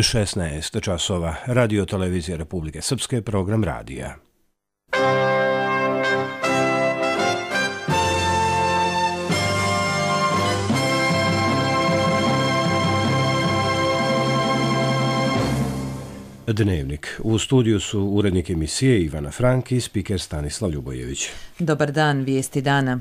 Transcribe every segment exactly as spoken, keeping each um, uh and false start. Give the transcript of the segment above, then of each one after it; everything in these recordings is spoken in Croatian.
šesnaest časova. Radio televizija Republike Srpske, program radija. Dnevnik. U studiju su urednik emisije Ivana Frank i spiker Stanislav Ljubojević. Dobar dan, vijesti dana.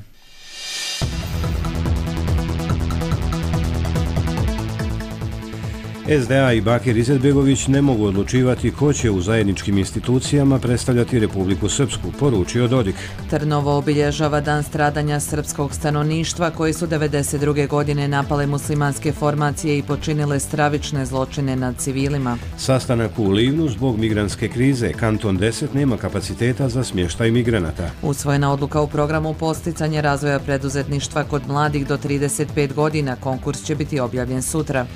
es de a i Bakir Izetbegović ne mogu odlučivati ko će u zajedničkim institucijama predstavljati Republiku Srpsku, poručio Dodik. Trnovo obilježava dan stradanja srpskog stanovništva koji su devedeset druge godine napale muslimanske formacije i počinile stravične zločine nad civilima. Sastanak u Livnu zbog migrantske krize. Kanton deset nema kapaciteta za smještaj migranata. Usvojena odluka u programu posticanja razvoja preduzetništva kod mladih do trideset pet godina. Konkurs će biti objavljen sutra.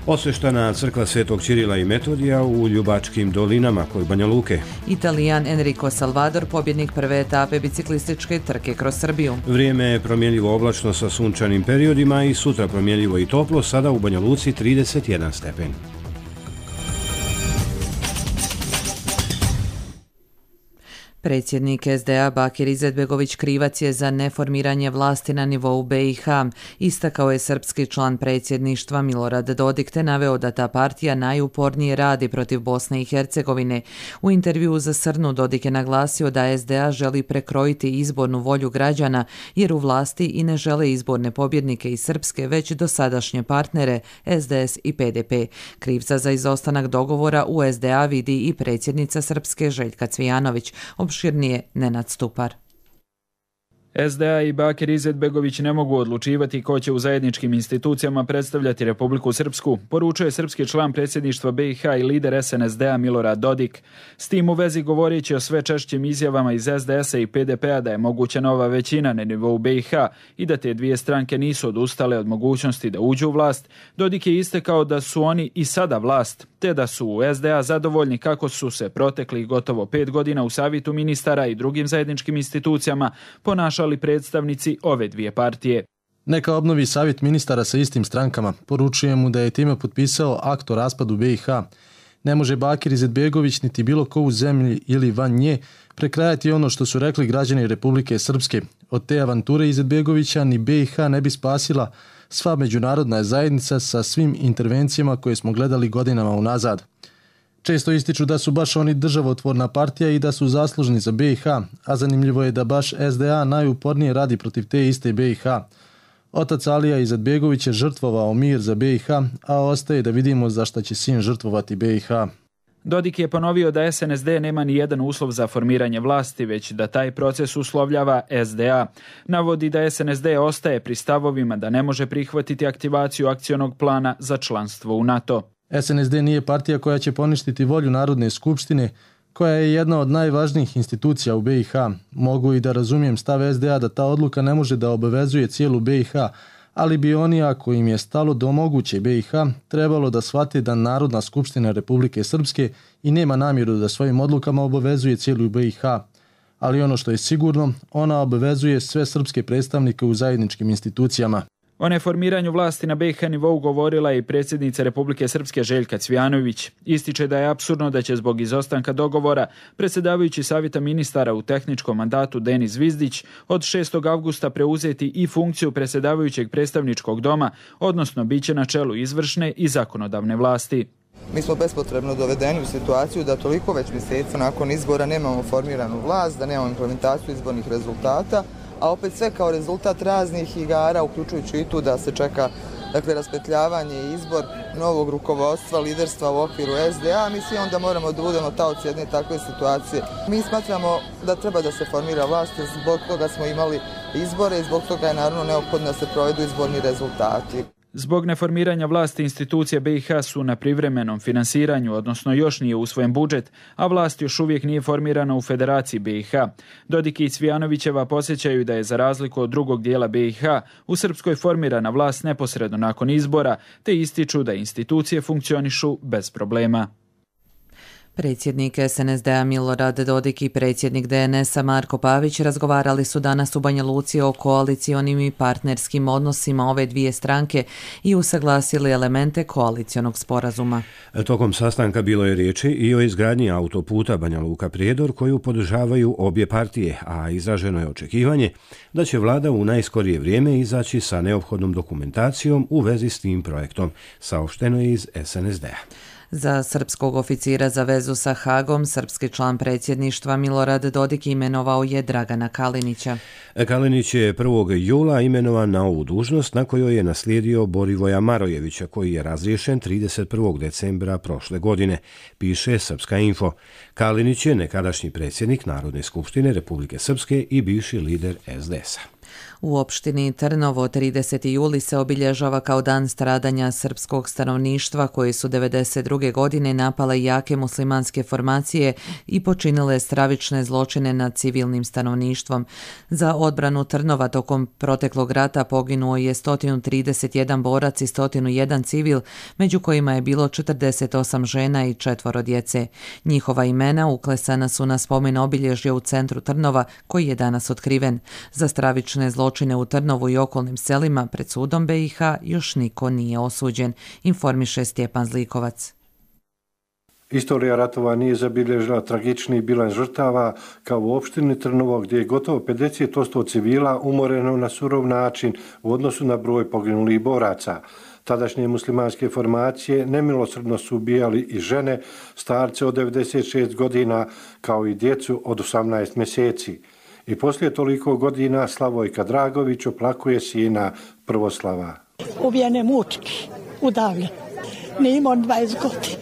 Osveštana crkva Svetog Ćirila i Metodija u Ljubačkim dolinama kod Banja Luke. Italijan Enrico Salvador, pobjednik prve etape biciklističke trke kroz Srbiju. Vrijeme je promjenljivo oblačno sa sunčanim periodima i sutra promjenljivo i toplo, sada u Banja Luci trideset jedan stepen. Predsjednik es de a Bakir Izetbegović krivac je za neformiranje vlasti na nivou be i ha. Istakao je srpski član predsjedništva Milorad Dodik te naveo da ta partija najupornije radi protiv Bosne i Hercegovine. U intervjuu za Srnu Dodik je naglasio da es de a želi prekrojiti izbornu volju građana jer u vlasti i ne žele izborne pobjednike iz Srpske već dosadašnje partnere es de es i pe de pe. Krivca za izostanak dogovora u es de a vidi i predsjednica Srpske Željka Cvijanović. Opširnije Nenad Stupar. es de a i Bakir Izetbegović ne mogu odlučivati ko će u zajedničkim institucijama predstavljati Republiku Srpsku, poručuje srpski član predsjedništva be i ha i lider es en es de a Milorad Dodik. S tim u vezi govoreći o sve češćim izjavama iz es de esa i pe de pea da je moguća nova većina na nivou be i ha i da te dvije stranke nisu odustale od mogućnosti da uđu u vlast, Dodik je istakao da su oni i sada vlast, te da su u es de a zadovoljni kako su se proteklih gotovo pet godina u Savjetu ministara i drugim zajedničkim institucijama ponašali ali predstavnici ove dvije partije. Neka obnovi savjet ministara sa istim strankama. Poručuje mu da je time potpisao akt o raspadu be i ha. Ne može Bakir Izetbegović niti bilo ko u zemlji ili van nje prekrajati ono što su rekli građani Republike Srpske. Od te avanture Izetbegovića ni be i ha ne bi spasila sva međunarodna zajednica sa svim intervencijama koje smo gledali godinama unazad. Često ističu da su baš oni državotvorna partija i da su zaslužni za be i ha, a zanimljivo je da baš es de a najupornije radi protiv te iste be i ha. Otac Alija Izetbegović je žrtvovao mir za be i ha, a ostaje da vidimo za šta će sin žrtvovati be i ha. Dodik je ponovio da es en es de nema ni jedan uslov za formiranje vlasti, već da taj proces uslovljava es de a. Navodi da es en es de ostaje pri stavovima da ne može prihvatiti aktivaciju akcionog plana za članstvo u NATO. es en es de nije partija koja će poništiti volju Narodne skupštine, koja je jedna od najvažnijih institucija u be i ha. Mogu i da razumijem stav es de a da ta odluka ne može da obavezuje cijelu be i ha, ali bi oni, ako im je stalo do moguće be i ha, trebalo da shvate da Narodna skupština Republike Srpske i nema namjeru da svojim odlukama obavezuje cijelu be i ha. Ali ono što je sigurno, ona obavezuje sve srpske predstavnike u zajedničkim institucijama. O neformiranju vlasti na be i ha nivou govorila je i predsjednica Republike Srpske Željka Cvijanović. Ističe da je apsurdno da će zbog izostanka dogovora predsjedavajući Savjeta ministara u tehničkom mandatu Denis Zvizdić od šestog avgusta preuzeti i funkciju predsjedavajućeg predstavničkog doma, odnosno bit će na čelu izvršne i zakonodavne vlasti. Mi smo bespotrebno dovedeni u situaciju da toliko već mjeseci nakon izbora nemamo formiranu vlast, da nemamo implementaciju izbornih rezultata, a opet sve kao rezultat raznih igara, uključujući i tu da se čeka dakle, raspetljavanje i izbor novog rukovodstva, liderstva u okviru es de a. Mi svi onda moramo da budemo taoci jedne takve situacije. Mi smatramo da treba da se formira vlast, zbog toga smo imali izbore i zbog toga je naravno neophodno da se provedu izborni rezultati. Zbog neformiranja vlasti institucije be i ha su na privremenom finansiranju, odnosno još nije usvojen budžet, a vlast još uvijek nije formirana u Federaciji be i ha. Dodik i Cvijanovićeva posjećaju da je za razliku od drugog dijela be i ha u Srpskoj formirana vlast neposredno nakon izbora, te ističu da institucije funkcionišu bez problema. Predsjednik es en es de a Milorad Dodik i predsjednik de en es a Marko Pavić razgovarali su danas u Banja Luci o koalicionim i partnerskim odnosima ove dvije stranke i usaglasili elemente koalicionog sporazuma. Tokom sastanka bilo je riječi i o izgradnji autoputa Banja Luka-Prijedor koju podržavaju obje partije, a izraženo je očekivanje da će vlada u najskorije vrijeme izaći sa neophodnom dokumentacijom u vezi s tim projektom, saopšteno je iz es en es de a. Za srpskog oficira za vezu sa Hagom, srpski član predsjedništva Milorad Dodik imenovao je Dragana Kalinića. Kalinić je prvog jula imenovan na ovu dužnost na kojoj je naslijedio Borivoja Marojevića, koji je razriješen trideset prvog decembra prošle godine, piše Srpska info. Kalinić je nekadašnji predsjednik Narodne skupštine Republike Srpske i bivši lider es de es a. U opštini Trnovo trideseti juli se obilježava kao dan stradanja srpskog stanovništva koji su devedeset druge godine napale jake muslimanske formacije i počinile stravične zločine nad civilnim stanovništvom. Za odbranu Trnova tokom proteklog rata poginuo je sto trideset jedan borac i sto jedan civil, među kojima je bilo četrdeset osam žena i četvoro djece. Njihova imena uklesana su na spomen obilježje u centru Trnova, koji je danas otkriven. Za stravične zločine u Trnovu i okolnim selima pred sudom be i ha još niko nije osuđen, informiše Stjepan Zlikovac. Istorija ratova nije zabilježila tragični bilans žrtava kao u opštini Trnovo, gdje je gotovo pedeset posto civila umoreno na surov način u odnosu na broj poginulih boraca. Tadašnje muslimanske formacije nemilosrdno su ubijali i žene, starce od devedeset šest godina, kao i djecu od osamnaest mjeseci. I poslije toliko godina Slavojka Dragović oplakuje sina Prvoslava. Ubijen je mučki, udavljen. Nije imao dvadeset godina,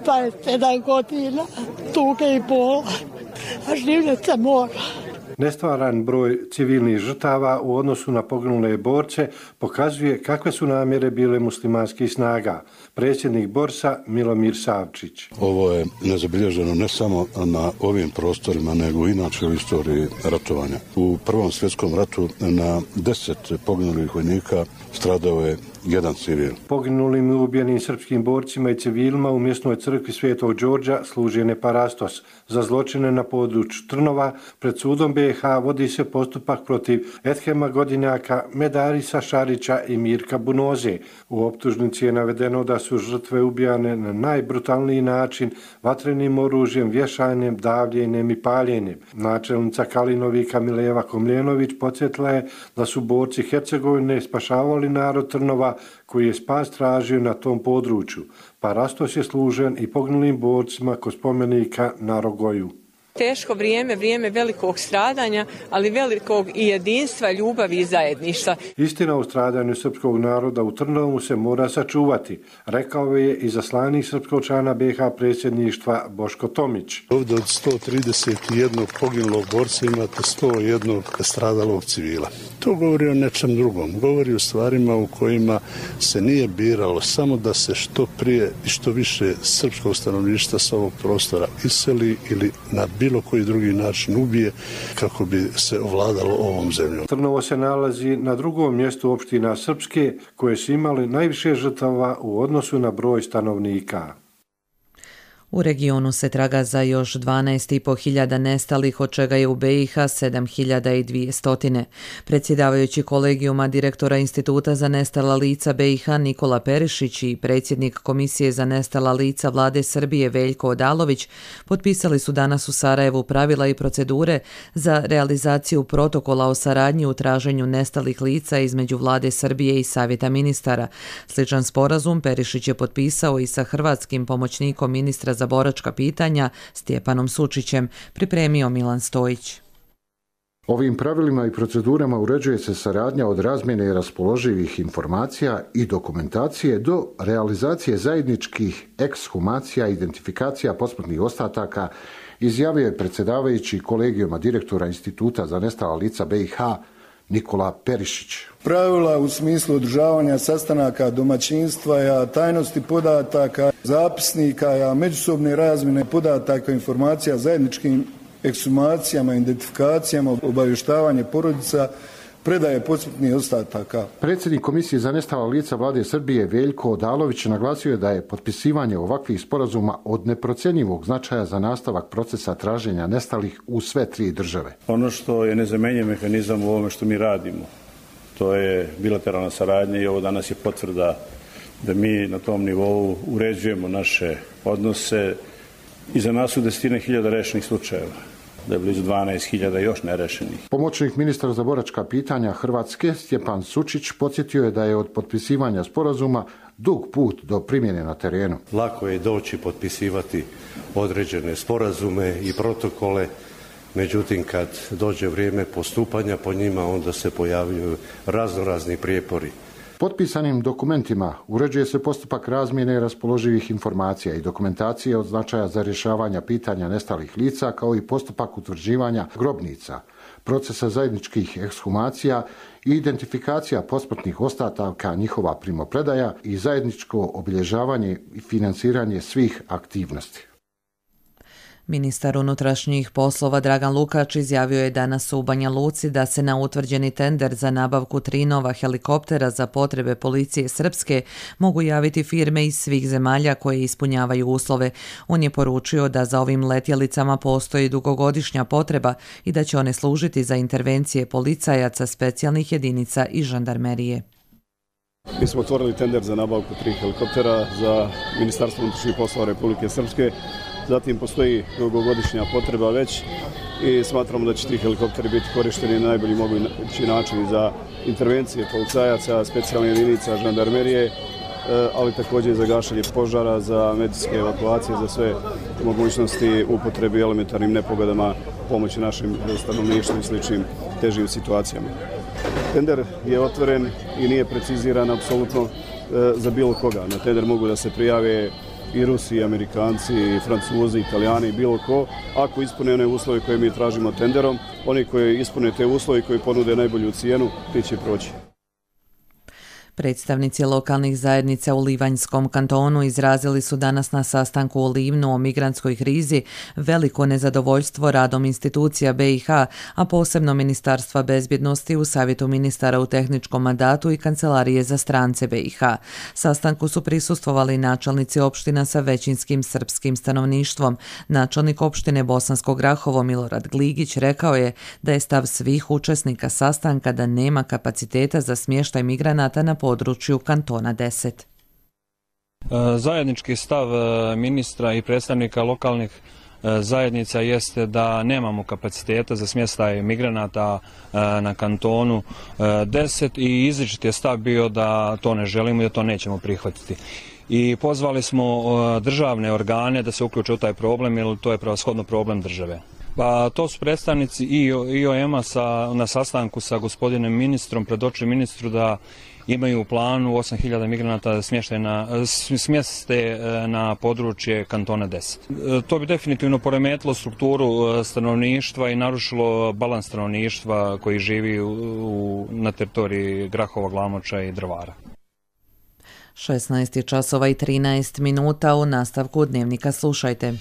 dvadeset sedam godina, tuge i bola, a življet se mora. Nestvaran broj civilnih žrtava u odnosu na poginule borce pokazuje kakve su namjere bile muslimanskih snaga. Predsjednik Borsa Milomir Savčić. Ovo je nezabilježeno ne samo na ovim prostorima, nego inače u istoriji ratovanja. U Prvom svjetskom ratu na deset poginulih vojnika stradao je jedan civil. Poginulim i ubijenim srpskim borcima i civilima u mjesnoj crkvi Svetog Đorđa služi Neparastos. Za zločine na području Trnova pred sudom be i ha vodi se postupak protiv Edhema Godinjaka, Medarisa Šarića i Mirka Bunoze. U optužnici je navedeno da su žrtve ubijane na najbrutalniji način, vatrenim oružjem, vješanjem, davljenjem i paljenjem. Načelnica Kalinovika Mileva Komljenović podsjetila je da su borci Hercegovine spašavali narod Trnova koji je spas tražio na tom području. Parastos je služen i poginulim borcima kod spomenika na Rogoju. Teško vrijeme, vrijeme velikog stradanja, ali velikog i jedinstva, ljubavi i zajedništva. Istina o stradanju srpskog naroda u Trnovu se mora sačuvati, rekao je i zaslanik srpskog člana be i ha predsjedništva Boško Tomić. Ovdje od sto trideset jedan poginulog borca imate sto jedan stradalog civila. To govori o nečem drugom, govori o stvarima u kojima se nije biralo samo da se što prije i što više srpskog stanovništva s ovog prostora iseli ili na bilo koji drugi način ubije kako bi se ovladalo ovom zemljom. Trnovo se nalazi na drugom mjestu opština Srpske koje su imali najviše žrtava u odnosu na broj stanovnika. U regionu se traga za još dvanaest i po hiljada nestalih, od čega je u be i ha sedam hiljada dvjesto. Predsjedavajući kolegijuma direktora Instituta za nestala lica be i ha Nikola Perišić i predsjednik Komisije za nestala lica Vlade Srbije Veljko Odalović potpisali su danas u Sarajevu pravila i procedure za realizaciju protokola o saradnji u traženju nestalih lica između Vlade Srbije i Savjeta ministara. Sličan sporazum Perišić je potpisao i sa hrvatskim pomoćnikom ministra za boračka pitanja Stjepanom Sučićem, pripremio Milan Stojić. Ovim pravilima i procedurama uređuje se saradnja od razmjene raspoloživih informacija i dokumentacije do realizacije zajedničkih ekshumacija i identifikacija posmrtnih ostataka, izjavio je predsjedavajući kolegijuma direktora Instituta za nestala lica be i ha Nikola Perišić. Pravila u smislu održavanja sastanaka domaćinstva, tajnosti podataka, zapisnika, međusobne razmjene podataka, informacija, zajedničkim ekshumacijama, identifikacijama, obavještavanje porodica, predaje posmrtnih ostataka. Predsjednik Komisije za nestala lica Vlade Srbije Veljko Odalović naglasio je da je potpisivanje ovakvih sporazuma od neprocjenjivog značaja za nastavak procesa traženja nestalih u sve tri države. Ono što je nezamenjiv mehanizam u ovome što mi radimo, to je bilateralna saradnja i ovo danas je potvrda da mi na tom nivou uređujemo naše odnose. Iza nas su desetine hiljada rešenih slučajeva, da je blizu dvanaest hiljada još nerešenih. Pomoćnik ministra za boračka pitanja Hrvatske Stjepan Sučić podsjetio je da je od potpisivanja sporazuma dug put do primjene na terenu. Lako je doći potpisivati određene sporazume i protokole, međutim kad dođe vrijeme postupanja po njima onda se pojavljuju raznorazni prijepori. Potpisanim dokumentima uređuje se postupak razmjene raspoloživih informacija i dokumentacije od značaja za rješavanje pitanja nestalih lica, kao i postupak utvrđivanja grobnica, procesa zajedničkih ekshumacija i identifikacija posmrtnih ostataka, njihova primopredaja i zajedničko obilježavanje i financiranje svih aktivnosti. Ministar unutrašnjih poslova Dragan Lukač izjavio je danas u Banja Luci da se na utvrđeni tender za nabavku tri nova helikoptera za potrebe policije Srpske mogu javiti firme iz svih zemalja koje ispunjavaju uslove. On je poručio da za ovim letjelicama postoji dugogodišnja potreba i da će one služiti za intervencije policajaca, specijalnih jedinica i žandarmerije. Mi smo otvorili tender za nabavku tri helikoptera za Ministarstvo unutrašnjih poslova Republike Srpske. Zatim postoji dugogodišnja potreba već i smatramo da će ti helikopteri biti korišteni na najbolji mogući način za intervencije policajaca, specijalne jedinica, žandarmerije, ali također i za gašenje požara, za medicinske evakuacije, za sve mogućnosti upotrebi elementarnim nepogodama, pomoći našim stanovništvu i sličnim težim situacijama. Tender je otvoren i nije preciziran apsolutno za bilo koga. Na tender mogu da se prijave i Rusi, i Amerikanci, i Francuzi, Italijani, bilo ko, ako ispune one uslove koje mi tražimo tenderom, oni koji ispune te uslove i koji ponude najbolju cijenu, ti će proći. Predstavnici lokalnih zajednica u Livanjskom kantonu izrazili su danas na sastanku u Livnu o migrantskoj krizi veliko nezadovoljstvo radom institucija B i H, a posebno Ministarstva bezbjednosti u Savjetu ministara u tehničkom mandatu i Kancelarije za strance B i H. Sastanku su prisustvovali načelnici opština sa većinskim srpskim stanovništvom. Načelnik opštine Bosansko Grahovo Milorad Gligić rekao je da je stav svih učesnika sastanka da nema kapaciteta za smještaj migranata na području kantona deset. Zajednički stav ministra i predstavnika lokalnih zajednica jeste da nemamo kapaciteta za smještaj migranata na kantonu deset i izričit je stav bio da to ne želimo i da to nećemo prihvatiti. I pozvali smo državne organe da se uključe u taj problem, jer to je prevashodno problem države. Pa to su predstavnici I O M-a na sastanku sa gospodinom ministrom, predočili ministru da imaju u planu osam hiljada migranata da smjeste na područje kantona deset. To bi definitivno poremetilo strukturu stanovništva i narušilo balans stanovništva koji živi u, na teritoriji Grahova, Glamoča i Drvara. šesnaest časova i trinaest minuta, u nastavku dnevnika slušajte.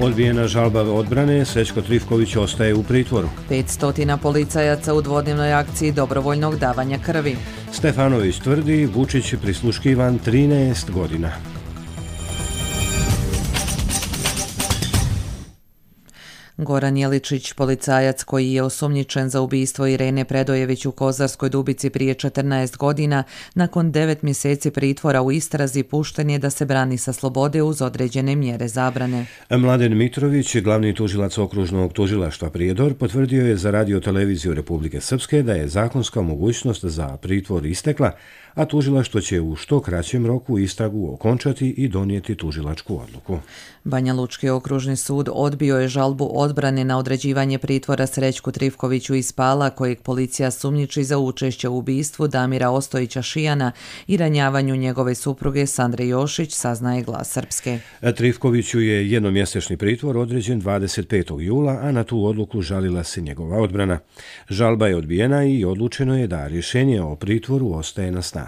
Odbijena žalba odbrane, Srećko Trifković ostaje u pritvoru. petsto policajaca u dvodnevnoj akciji dobrovoljnog davanja krvi. Stefanović tvrdi, Vučić prisluškivan trinaest godina. Goran Jeličić, policajac koji je osumnjičen za ubistvo Irene Predojević u Kozarskoj Dubici prije četrnaest godina, nakon devet mjeseci pritvora u istrazi pušten je da se brani sa slobode uz određene mjere zabrane. Mladen Mitrović, glavni tužilac okružnog tužilaštva Prijedor, potvrdio je za Radio televiziju Republike Srpske da je zakonska mogućnost za pritvor istekla, a tužilaštvo će u što kraćem roku istragu okončati i donijeti tužilačku odluku. Banja Lučki okružni sud odbio je žalbu odbrane na određivanje pritvora Srećku Trifkoviću iz Pala, kojeg policija sumnjiči za učešće u ubistvu Damira Ostojića Šijana i ranjavanju njegove supruge Sandre Jošić, saznaje Glas Srpske. Trifkoviću je jednomjesečni pritvor određen dvadeset petog jula, a na tu odluku žalila se njegova odbrana. Žalba je odbijena i odlučeno je da rješenje o pritvoru ostaje na snazi.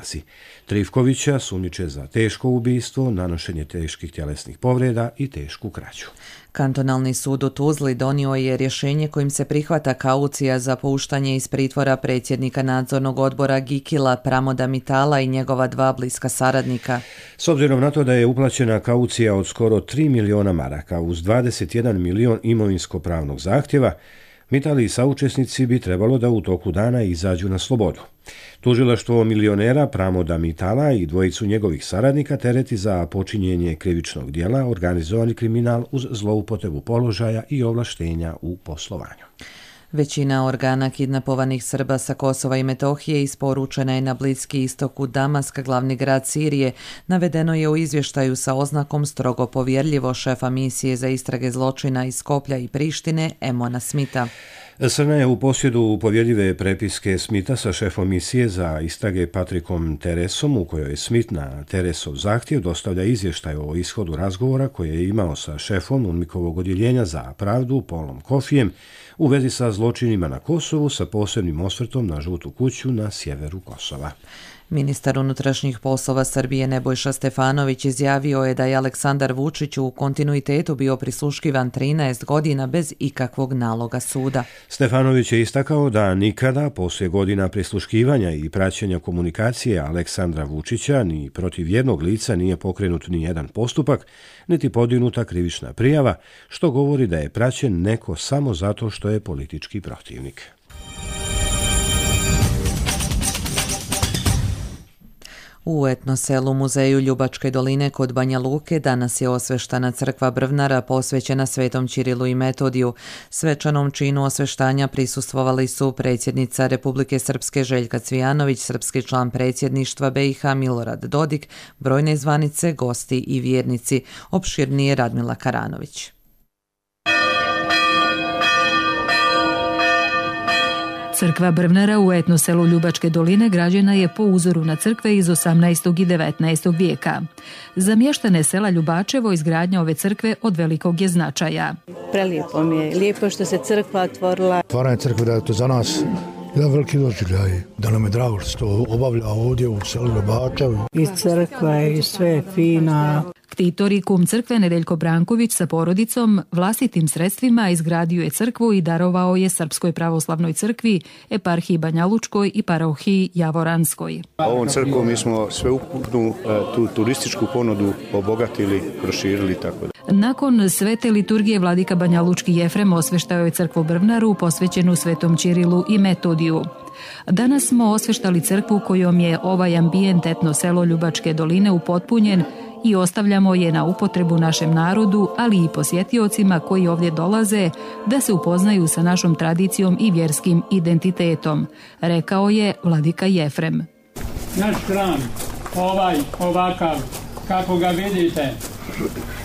Trifkovića sumnjiče za teško ubistvo, nanošenje teških tjelesnih povreda i tešku krađu. Kantonalni sud u Tuzli donio je rješenje kojim se prihvata kaucija za puštanje iz pritvora predsjednika nadzornog odbora Gikila Pramoda Mitala i njegova dva bliska saradnika. S obzirom na to da je uplaćena kaucija od skoro tri miliona maraka uz dvadeset jedan milion imovinsko-pravnog zahtjeva, Mitali i saučesnici bi trebalo da u toku dana izađu na slobodu. Tužilaštvo milionera Pramoda Mitala i dvojicu njegovih saradnika tereti za počinjenje krivičnog djela, organizovani kriminal uz zloupotrebu položaja i ovlaštenja u poslovanju. Većina organa kidnapovanih Srba sa Kosova i Metohije isporučena je na Bliski istok u Damask, glavni grad Sirije, navedeno je u izvještaju sa oznakom strogo povjerljivo šefa misije za istrage zločina iz Skoplja i Prištine Emona Smitha. Srna je u posjedu povjerljive prepiske Smitha sa šefom misije za istrage Patrikom Teresom, u kojoj Smith na Teresov zahtjev dostavlja izvještaj o ishodu razgovora koje je imao sa šefom UNMIK-ovog odjeljenja za pravdu Paulom Kofijem u vezi sa zločinima na Kosovu sa posebnim osvrtom na Žutu kuću na sjeveru Kosova. Ministar unutrašnjih poslova Srbije Nebojša Stefanović izjavio je da je Aleksandar Vučić u kontinuitetu bio prisluškivan trinaest godina bez ikakvog naloga suda. Stefanović je istakao da nikada poslije godina prisluškivanja i praćenja komunikacije Aleksandra Vučića ni protiv jednog lica nije pokrenut ni jedan postupak, niti podignuta krivična prijava, što govori da je praćen neko samo zato što je politički protivnik. U etno selu Muzeju Ljubačke doline kod Banja Luke danas je osveštana crkva Brvnara posvećena Svetom Ćirilu i Metodiju. Svečanom činu osveštanja prisustvovali su predsjednica Republike Srpske Željka Cvijanović, srpski član predsjedništva B i H Milorad Dodik, brojne zvanice, gosti i vjernici. Opširnije Radmila Karanović. Crkva Brvnara u etno selu Ljubačke doline građena je po uzoru na crkve iz osamnaestog i devetnaestog vijeka. Za mještane sela Ljubačevo izgradnja ove crkve od velikog je značaja. Prelijepo mi je, lijepo što se crkva otvorila. Otvaranje crkve da je to za nas jedan veliki doživljaj, da nam je drago što se to obavlja ovdje u selu Ljubačevo. I crkva i sve je fina. Ktitor i kum crkve Nedeljko Branković sa porodicom vlastitim sredstvima izgradio je crkvu i darovao je Srpskoj pravoslavnoj crkvi, eparhiji Banjalučkoj i parohiji Javoranskoj. Ovom crkvom mi smo sveukupnu tu turističku ponudu obogatili, proširili tako da. Nakon svete liturgije vladika Banjalučki Jefrem osveštao je crkvu Brvnaru posvećenu Svetom Ćirilu i Metodiju. Danas smo osveštali crkvu kojom je ovaj ambijent etno selo Ljubačke doline upotpunjen i ostavljamo je na upotrebu našem narodu, ali i posjetiocima koji ovdje dolaze da se upoznaju sa našom tradicijom i vjerskim identitetom, rekao je vladika Jefrem. Naš hram, ovaj, ovakav, kako ga vidite,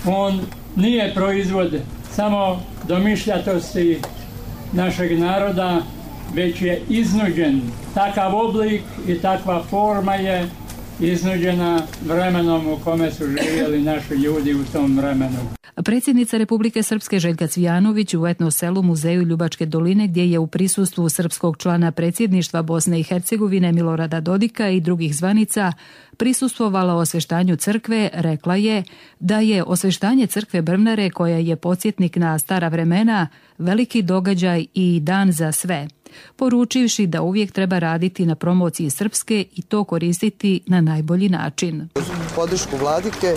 on nije proizvod samo domišljatosti našeg naroda, već je iznuđen. Takav oblik i takva forma je iznuđena vremenom u kome su živjeli naši ljudi u tom vremenu. Predsjednica Republike Srpske Željka Cvijanović u etno selu Muzeju Ljubačke doline, gdje je u prisustvu srpskog člana predsjedništva Bosne i Hercegovine Milorada Dodika i drugih zvanica prisustvovala osveštanju crkve, rekla je da je osveštanje crkve Brvnare, koja je podsjetnik na stara vremena, veliki događaj i dan za sve, poručivši da uvijek treba raditi na promociji srpske i to koristiti na najbolji način. Uz podršku vladike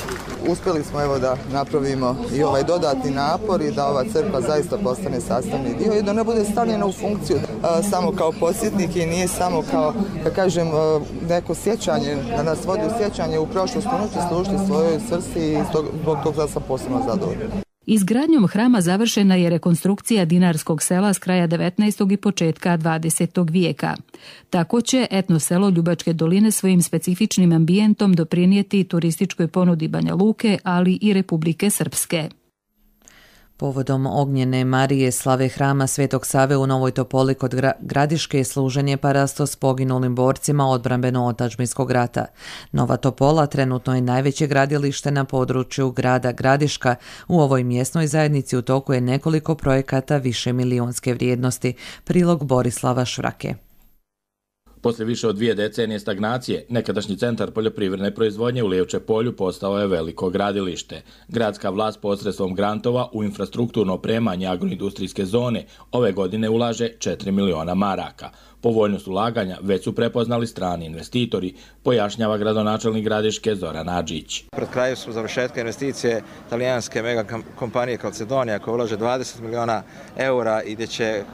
uspjeli smo evo da napravimo i ovaj dodatni napor i da ova crkva zaista postane sastavni dio i da ne bude stavljena u funkciju a, samo kao podsjetnik i nije samo kao, da kažem, a, neko sjećanje, da nas vodi u sjećanje u prošlost, unuti služiti svojoj srsti i zbog toga sam posebno zadovoljna. Izgradnjom hrama završena je rekonstrukcija Dinarskog sela s kraja devetnaestog i početka dvadesetog vijeka. Tako će etno selo Ljubačke doline svojim specifičnim ambijentom doprinijeti turističkoj ponudi Banja Luke, ali i Republike Srpske. Povodom ognjene Marije slave hrama Svetog Save u Novoj Topoli kod Gradiške služen je parastos poginulim borcima odbrambeno-otačbinskog rata. Nova Topola trenutno je najveće gradilište na području grada Gradiška. U ovoj mjesnoj zajednici u toku je nekoliko projekata više milionske vrijednosti. Prilog Borislava Švrake. Poslije više od dvije decenije stagnacije, nekadašnji centar poljoprivredne proizvodnje u Lijevče polju postao je veliko gradilište. Gradska vlast posredstvom grantova u infrastrukturno opremanje agroindustrijske zone ove godine ulaže četiri miliona maraka. Povoljnost ulaganja već su prepoznali strani investitori, pojašnjava gradonačelnik Gradiške Zoran Adžić. Pred kraju su završetka investicije talijanske mega kompanije Calcedonia koja ulaže dvadeset miliona eura i gdje će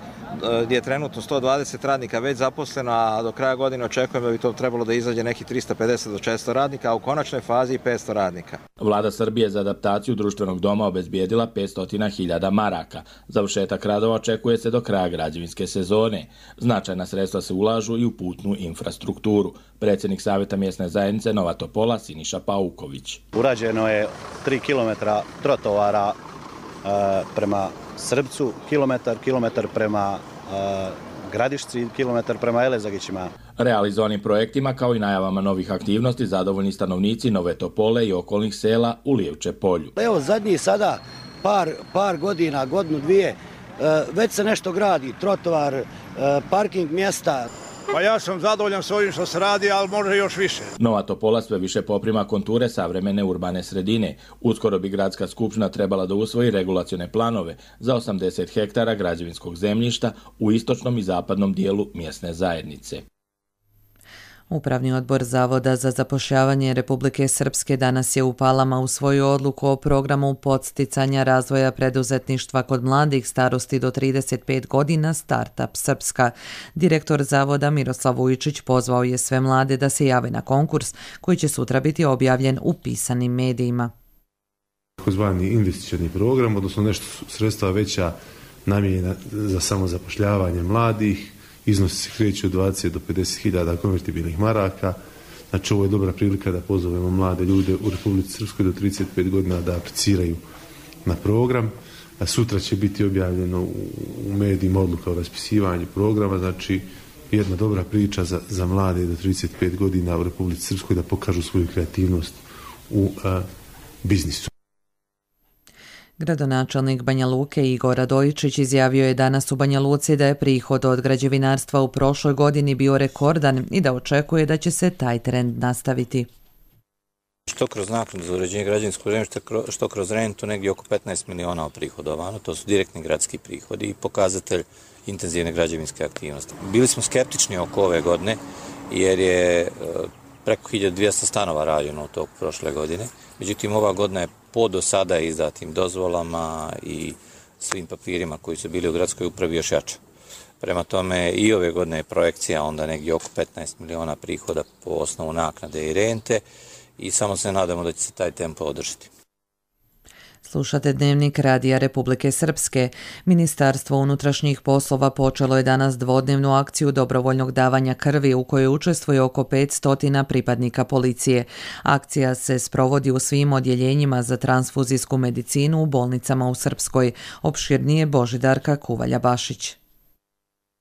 gdje je trenutno sto dvadeset radnika već zaposleno, a do kraja godine očekujem da bi to trebalo da izađe nekih trista pedeset do četiristo radnika, a u konačnoj fazi petsto radnika. Vlada Srbije za adaptaciju društvenog doma obezbijedila petsto hiljada maraka. Završetak radova očekuje se do kraja građevinske sezone. Značajna sredstva se ulažu i u putnu infrastrukturu. Predsjednik Savjeta mjesne zajednice Nova Topola Siniša Pauković. Urađeno je tri kilometra trotovara e, prema Srbcu, kilometar, kilometar prema e, Gradišci, kilometar prema Elezagićima. Realizovanim projektima kao i najavama novih aktivnosti zadovoljni stanovnici Nove Topole i okolnih sela u Lijevče polju. Evo zadnji sada par, par godina, godinu dvije, e, već se nešto gradi, trotovar, e, parking mjesta. Pa ja sam zadovoljan s ovim što se radi, ali može još više. Nova Topola sve više poprima konture savremene urbane sredine. Uskoro bi gradska skupština trebala da usvoji regulacione planove za osamdeset hektara građevinskog zemljišta u istočnom i zapadnom dijelu mjesne zajednice. Upravni odbor Zavoda za zapošljavanje Republike Srpske danas je u Palama usvojio odluku o programu podsticanja razvoja preduzetništva kod mladih starosti do trideset pet godina Startup Srpska. Direktor Zavoda Miroslav Vujčić pozvao je sve mlade da se jave na konkurs koji će sutra biti objavljen u pisanim medijima. Takozvani investicioni program, odnosno nešto sredstva veća namijenjena za samozapošljavanje mladih. Iznosi se kreću od dvadeset do pedeset hiljada konvertibilnih maraka. Znači ovo je dobra prilika da pozovemo mlade ljude u Republici Srpskoj do trideset pet godina da apliciraju na program. A sutra će biti objavljeno u medijima odluka o raspisivanju programa. Znači jedna dobra priča za, za mlade do trideset pet godina u Republici Srpskoj da pokažu svoju kreativnost u a, biznisu. Gradonačelnik Banja Luke Igor Radojičić izjavio je danas u Banja Luci da je prihod od građevinarstva u prošloj godini bio rekordan i da očekuje da će se taj trend nastaviti. Što kroz naknadu za uređenje građevinskog zemljišta, što kroz rentu, negdje oko petnaest miliona prihodovano, to su direktni gradski prihodi i pokazatelj intenzivne građevinske aktivnosti. Bili smo skeptični oko ove godine jer je preko hiljadu dvjesto stanova rađeno od tog prošle godine. Međutim, ova godina je po do sada izdatim dozvolama i svim papirima koji su bili u gradskoj upravi još jača. Prema tome i ove godine je projekcija onda negdje oko petnaest miliona prihoda po osnovu naknade i rente i samo se nadamo da će se taj tempo održati. Slušate Dnevnik Radija Republike Srpske. Ministarstvo unutrašnjih poslova počelo je danas dvodnevnu akciju dobrovoljnog davanja krvi u kojoj učestvuje oko petsto pripadnika policije. Akcija se sprovodi u svim odjeljenjima za transfuzijsku medicinu u bolnicama u Srpskoj. Opširnije Božidarka Kuvalja-Bašić.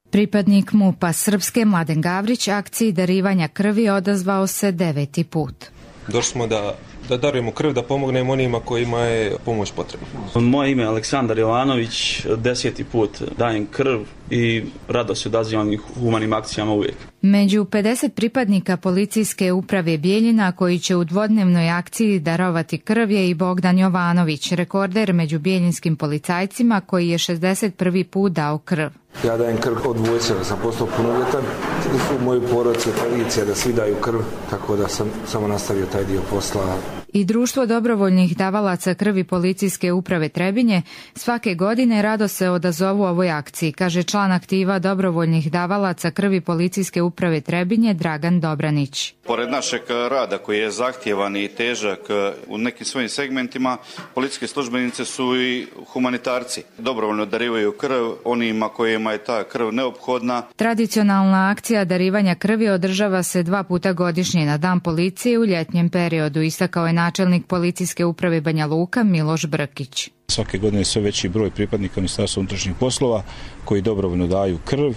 Pripadnik MUP-a Srpske Mladen Gavrić akciji darivanja krvi odazvao se deveti put. Došli smo da da darujemo krv, da pomognemo onima kojima je pomoć potrebna. Moje ime je Aleksandar Jovanović, deseti put dajem krv i rado se odazivam i humanim akcijama uvijek. Među pedeset pripadnika policijske uprave Bijeljina koji će u dvodnevnoj akciji darovati krv je i Bogdan Jovanović, rekorder među bijeljinskim policajcima koji je šezdeset prvi put dao krv. Ja dajem krv od vojske, da sam postao punoljetan, da su moji porodice, policija, da svi daju krv, tako da sam samo nastavio taj dio posla. I Društvo dobrovoljnih davalaca krvi policijske uprave Trebinje svake godine rado se odazovu ovoj akciji, kaže član aktiva dobrovoljnih davalaca krvi policijske uprave Trebinje Dragan Dobranić. Pored našeg rada koji je zahtjevan i težak u nekim svojim segmentima, policijske službenice su i humanitarci. Dobrovoljno darivaju krv onima kojima je ta krv neophodna. Tradicionalna akcija darivanja krvi održava se dva puta godišnje na Dan policije u ljetnjem periodu, istakao je načelnik policijske uprave Banja Luka Miloš Brkić. Svake godine sve veći broj pripadnika Ministarstva unutrašnjih poslova koji dobrovoljno daju krv.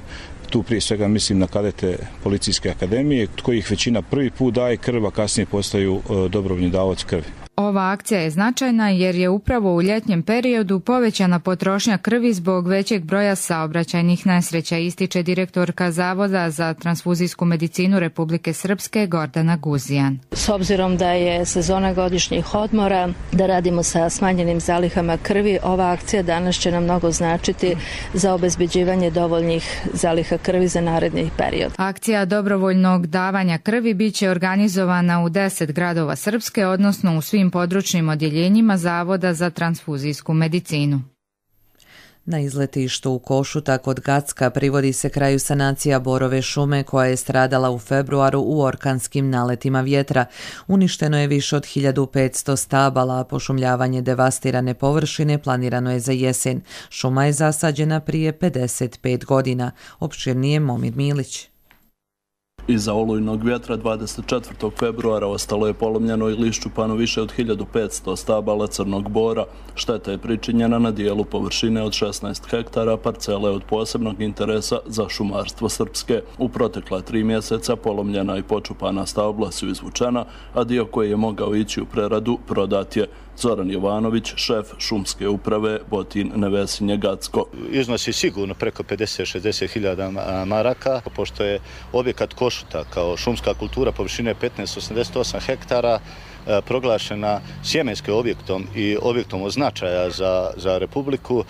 Tu prije svega mislim na kadete policijske akademije, od kojih većina prvi put daje krv, a kasnije postaju dobrovoljni davaoci krvi. Ova akcija je značajna jer je upravo u ljetnjem periodu povećana potrošnja krvi zbog većeg broja saobraćajnih nesreća, ističe direktorka Zavoda za transfuzijsku medicinu Republike Srpske Gordana Guzijan. S obzirom da je sezona godišnjih odmora, da radimo sa smanjenim zalihama krvi, ova akcija danas će nam mnogo značiti za obezbeđivanje dovoljnih zaliha krvi za naredni period. Akcija dobrovoljnog davanja krvi biće organizovana u deset gradova Srpske, odnosno u svim područnim odjeljenjima Zavoda za transfuzijsku medicinu. Na izletištu u Košuta kod Gacka privodi se kraju sanacija borove šume koja je stradala u februaru u orkanskim naletima vjetra. Uništeno je više od hiljadu petsto stabala, a pošumljavanje devastirane površine planirano je za jesen. Šuma je zasađena prije pedeset pet godina. Opširnije Momir Milić. Iza olujnog vjetra dvadeset četvrtog februara ostalo je polomljeno ili iščupano više od hiljadu petsto stabala crnog bora. Šteta je pričinjena na dijelu površine od šesnaest hektara parcele od posebnog interesa za šumarstvo Srpske. U protekla tri mjeseca polomljena i počupana stabla su izvučena, a dio koji je mogao ići u preradu prodat je. Zoran Jovanović, šef šumske uprave Botin Nevesinje Gacko. Iznosi sigurno preko pedeset do šezdeset hiljada maraka, pošto je objekat Košuta kao šumska kultura površine petnaest zarez osamdeset osam hektara proglašena sjemenskim objektom i objektom od značaja za, za Republiku,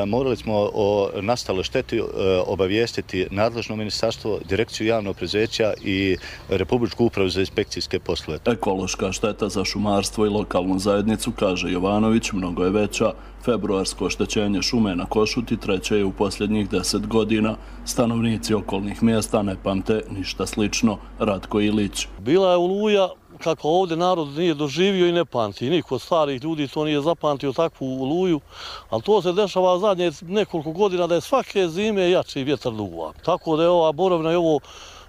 morali smo o nastaloj šteti obavijestiti nadležno ministarstvo, direkciju javnog preduzeća i Republičku upravu za inspekcijske poslove. Ekološka šteta za šumarstvo i lokalnu zajednicu, kaže Jovanović, mnogo je veća. Februarsko oštećenje šume na Košuti treće je u posljednjih deset godina. Stanovnici okolnih mjesta ne pamte ništa slično. Ratko Ilić. Bila je oluja kako ovdje narod nije doživio i ne pamti. Niko od starih ljudi to nije zapamtio takvu oluju, ali to se dešava zadnje nekoliko godina da je svake zime jači vjetar duva. Tako da je ova borovna i ovo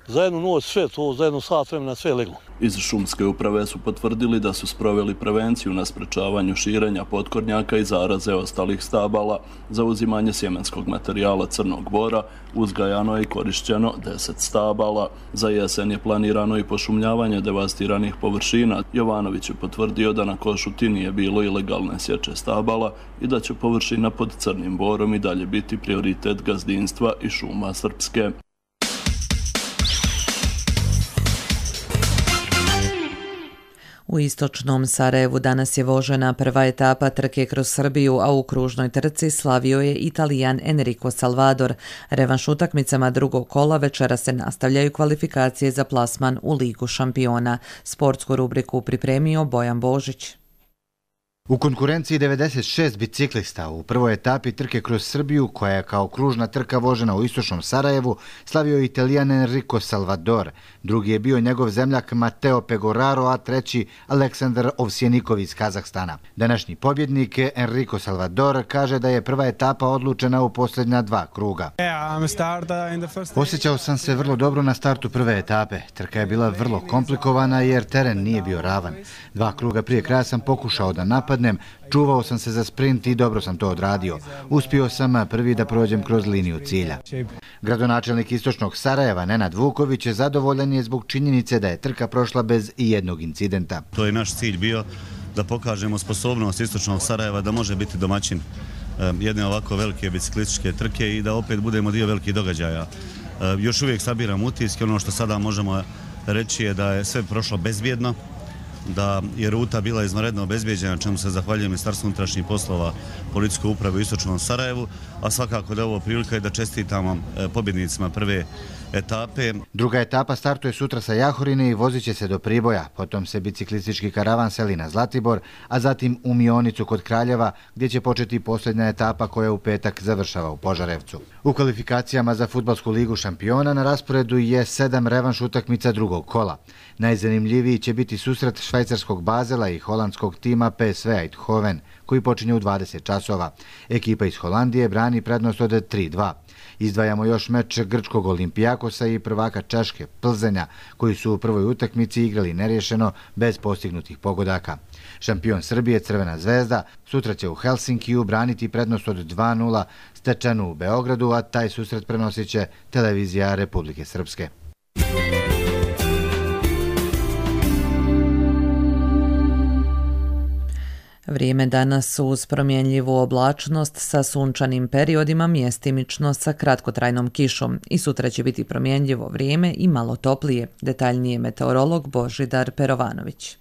za jednu noć sve to, za jednu sat vremena sve leglo. Iz šumske uprave su potvrdili da su sproveli prevenciju na sprečavanju širenja potkornjaka i zaraze ostalih stabala. Za uzimanje sjemenskog materijala crnog bora uzgajano je i korišćeno deset stabala. Za jesen je planirano i pošumljavanje devastiranih površina. Jovanović je potvrdio da na Košuti nije bilo ilegalne sječe stabala i da će površina pod crnim borom i dalje biti prioritet gazdinstva i šuma Srpske. U istočnom Sarajevu danas je vožena prva etapa trke kroz Srbiju, a u kružnoj trci slavio je Italijan Enrico Salvador. Revanš utakmicama drugog kola večera se nastavljaju kvalifikacije za plasman u Ligu šampiona. Sportsku rubriku pripremio Bojan Božić. U konkurenciji devedeset šest biciklista u prvoj etapi trke kroz Srbiju, koja je kao kružna trka vožena u istočnom Sarajevu, slavio Italijan Enrico Salvador. Drugi je bio njegov zemljak Mateo Pegoraro, a treći Aleksandar Ovsjenikov iz Kazahstana. Današnji pobjednik Enrico Salvador kaže da je prva etapa odlučena u posljednja dva kruga. Osjećao sam se vrlo dobro na startu prve etape. Trka je bila vrlo komplikovana jer teren nije bio ravan. Dva kruga prije kraja sam pokušao da napadnem, čuvao sam se za sprint i dobro sam to odradio. Uspio sam prvi da prođem kroz liniju cilja. Gradonačelnik istočnog Sarajeva Nenad Vuković je zadovoljan je zbog činjenice da je trka prošla bez ijednog incidenta. To je naš cilj bio, da pokažemo sposobnost istočnog Sarajeva da može biti domaćin jedne ovako velike biciklističke trke i da opet budemo dio velikih događaja. Još uvijek sabiram utiske, ono što sada možemo reći je da je sve prošlo bezbjedno, da je ruta bila izvanredno obezbijeđena, čemu se zahvaljujem Ministarstvu unutrašnjih poslova, policijskoj upravi u istočnom Sarajevu, a svakako da je ovo prilika i da čestitamo pobjednicima prve etape. Druga etapa startuje sutra sa Jahorine i vozit će se do Priboja, potom se biciklistički karavan seli na Zlatibor, a zatim u Mionicu kod Kraljeva, gdje će početi posljednja etapa koja u petak završava u Požarevcu. U kvalifikacijama za Fudbalsku ligu šampiona na rasporedu je sedam revanš utakmica drugog kola. Najzanimljiviji će biti susret švajcarskog Bazela i holandskog tima P S V Eindhoven, koji počinje u dvadeset časova. Ekipa iz Holandije brani prednost od tri dva. Izdvajamo još meč grčkog Olimpijakosa i prvaka Češke Plzenja, koji su u prvoj utakmici igrali nerješeno bez postignutih pogodaka. Šampion Srbije Crvena zvezda sutra će u Helsinkiju braniti prednost od dva nula stečenu u Beogradu, a taj susret prenosit će televizija Republike Srpske. Vrijeme danas uz promjenljivu oblačnost sa sunčanim periodima, mjestimično sa kratkotrajnom kišom. I sutra će biti promjenljivo vrijeme i malo toplije. Detaljnije meteorolog Božidar Perovanović.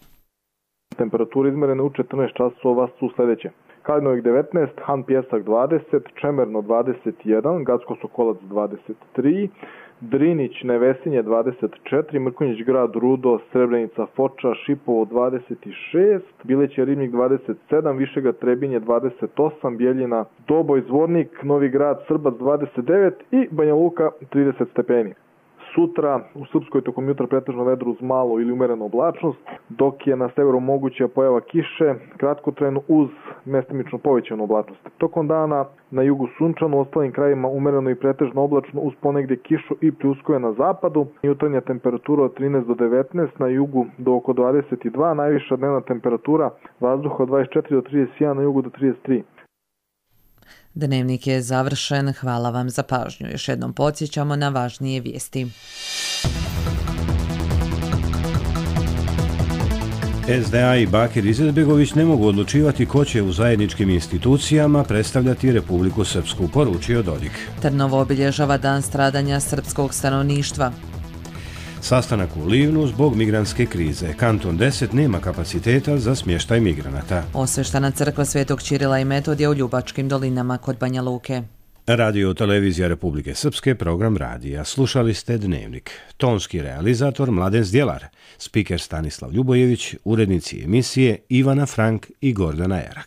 Temperature izmjerene u četrnaest časova su sljedeće. Kalinovik devetnaest, Han Pjesak dvadeset, Čemerno dvadeset jedan, Gacko Sokolac dvadeset tri, Drinić Nevesinje dvadeset četiri, Mrkonjić Grad Rudo, Srebrenica Foča, Šipovo dvadeset šest, Bileće Ribnik dvadeset sedam, Višegrad Trebinje dvadeset osam, Bjeljina Doboj Zvornik, Novi Grad Srbac dvadeset devet i Banja Luka trideset stepeni. Sutra u Srpskoj tokom jutra pretežno vedro uz malo ili umerenu oblačnost, dok je na severu moguća pojava kiše, kratkotrajno uz mestimično povećanu oblačnost. Tokom dana na jugu sunčano, u ostalim krajima umereno i pretežno oblačno uz ponegdje kišu i pljuskove na zapadu. Jutarnja temperatura od trinaest do devetnaest, na jugu do oko dvadeset dva, najviša dnevna temperatura vazduha od dvadeset četiri do trideset jedan, na jugu do trideset tri. Dnevnik je završen, hvala vam za pažnju. Još jednom podsjećamo na važnije vijesti. S D A i Bakir Izetbegović ne mogu odlučivati ko će u zajedničkim institucijama predstavljati Republiku Srpsku, poručio Dodik. Trnovo obilježava dan stradanja srpskog stanovništva. Sastanak u Livnu zbog migrantske krize. Kanton deset nema kapaciteta za smještaj migranata. Osveštana crkva Svetog Ćirila i Metodija u Ljubačkim dolinama kod Banja Luke. Radio Televizija Republike Srpske, program radija. Slušali ste Dnevnik. Tonski realizator Mladen Zdjelar, spiker Stanislav Ljubojević, urednici emisije Ivana Frank i Gordana Erak.